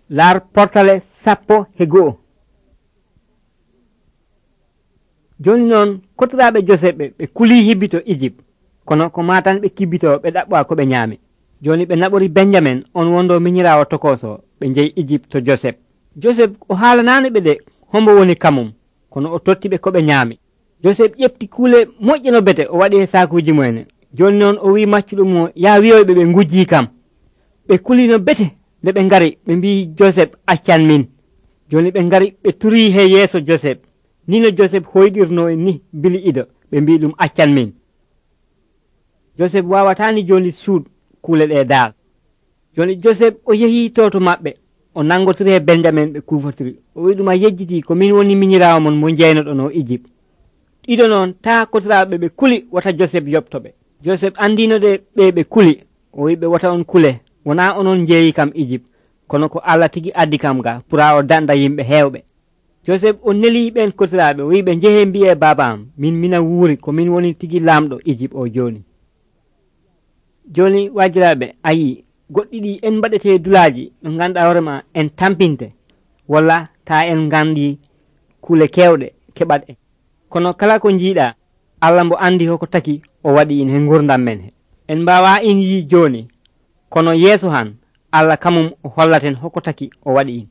laar portale 11. joni noon kotiraɓe Joseph ɓe kuli hibbito Egypte, kono ko matan ɓe kibbito ɓe ɗaɓɓa ko ɓe ñaami. joni ɓe naɓori Benjamin on wondo miñirawo tokoso ɓe jeeyi Egypte to Joseph. Joseph o haalanani ɓe de hombo woni kamum, kono o totti ɓe ko ɓe ñaami. Joseph ƴefti kuule moƴƴe no bete o waɗi e sakuji mumen. joni noon o wi maccuɗum mo ya wiyoyɓe ɓe gujji kam. ɓe kuli no bete nde ɓe ngari ɓe mbi Joseph accan min. joni ɓe ngari ɓe turi he yeeso Joseph, ni no Joseph hoyɗirno ni bili ido ɓe mbi ɗum accan min. Joseph wawatani joni suud kuule ɗe daal. joni Joseph o yehi to maɓɓe o nangotiri e Benjamin ɓe kufotiri, o wi ɗum a yejjiti ko min woni miñirawo mon mo jeynoɗo no Egypte. ɗiɗo noon ta kotiraɓe ɓe kuli wata Joseph yoɓtoɓe. Joseph andino de ɓe kuli, o wi ɓe wata on kule, wona onon jeeyi kam Egypte, kono ko Allah tigi addi kam ga pura o danda yimɓe hewɓe. Joseph o neli ɓen kotiraɓe, o wi ɓe jeehe mbiye baba am mina wuuri ko min woni tigi lamɗo Egypte o joni. joni wajiraɓe ayi goɗɗi ɗi en mbaɗete dulaji no ganduɗa hoorema en tampinte, walla ta en gandi kuule kewɗe keɓat en. kono kala ko jiiɗa Allah mbo andi hoko taki o waɗi in he gurdam men he. en mbawa in yi joni, kono yeeso han Allah kamum o hollaten hoko taki o waɗi in.